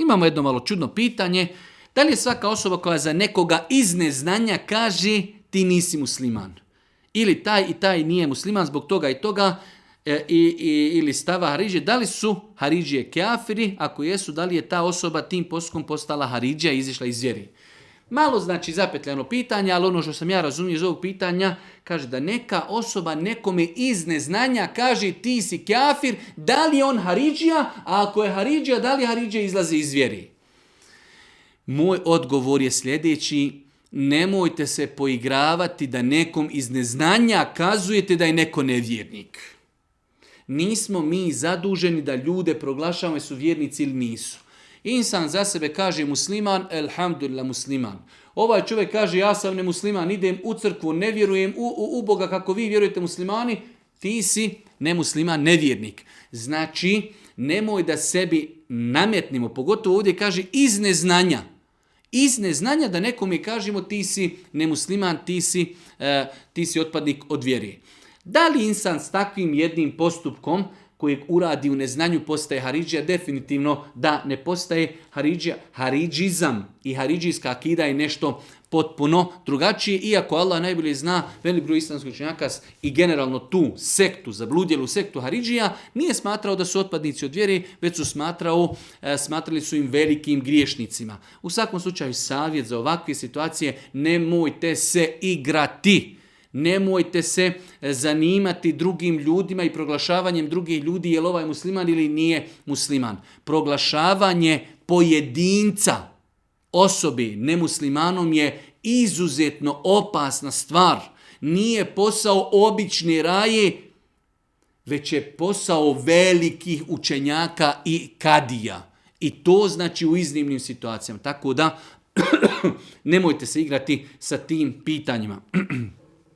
Imamo jedno malo čudno pitanje. Da li je svaka osoba koja za nekoga iz neznanja kaže ti nisi musliman? Ili taj i taj nije musliman zbog toga i toga, ili stava Haridžije, da li su Haridžije kafiri? Ako jesu, da li je ta osoba tim postupkom postala Haridžija i izišla iz vjeri? Malo znači zapetljano pitanje, ali ono što sam ja razumio iz ovog pitanja, kaže da neka osoba nekome iz neznanja kaže ti si kafir, da li je on Haridžija, a ako je Haridžija, da li Haridžija izlazi iz vjeri? Moj odgovor je sljedeći: nemojte se poigravati da nekom iz neznanja kazujete da je neko nevjernik. Nismo mi zaduženi da ljude proglašavamo su vjernici ili nisu. Insan za sebe kaže musliman, elhamdulillah musliman. Ovaj čovjek kaže ja sam nemusliman, idem u crkvu, ne vjerujem u Boga kako vi vjerujete muslimani, ti si nemusliman, nevjernik. Znači, nemoj da sebi nametnimo, pogotovo ovdje kaže iz neznanja. Iz neznanja da nekome kažemo ti si nemusliman, ti si otpadnik od vjeri. Da li insan s takvim jednim postupkom kojeg uradi u neznanju postaje Haridžija? Definitivno da ne postaje Haridžija. Haridžizam i haridžijska akida je nešto potpuno drugačije, iako Allah najbolje zna, velik broj islamskih učenjaka i generalno tu sektu, zabludjelu sektu Haridžija, nije smatrao da su otpadnici od vjere, već su smatrali su im velikim griješnicima. U svakom slučaju savjet za ovakve situacije: nemojte se igrati. Nemojte se zanimati drugim ljudima i proglašavanjem drugih ljudi je li ovaj musliman ili nije musliman. Proglašavanje pojedinca, osobe nemuslimanom je izuzetno opasna stvar. Nije posao obične raje, već je posao velikih učenjaka i kadija. I to znači u iznimnim situacijama. Tako da nemojte se igrati sa tim pitanjima.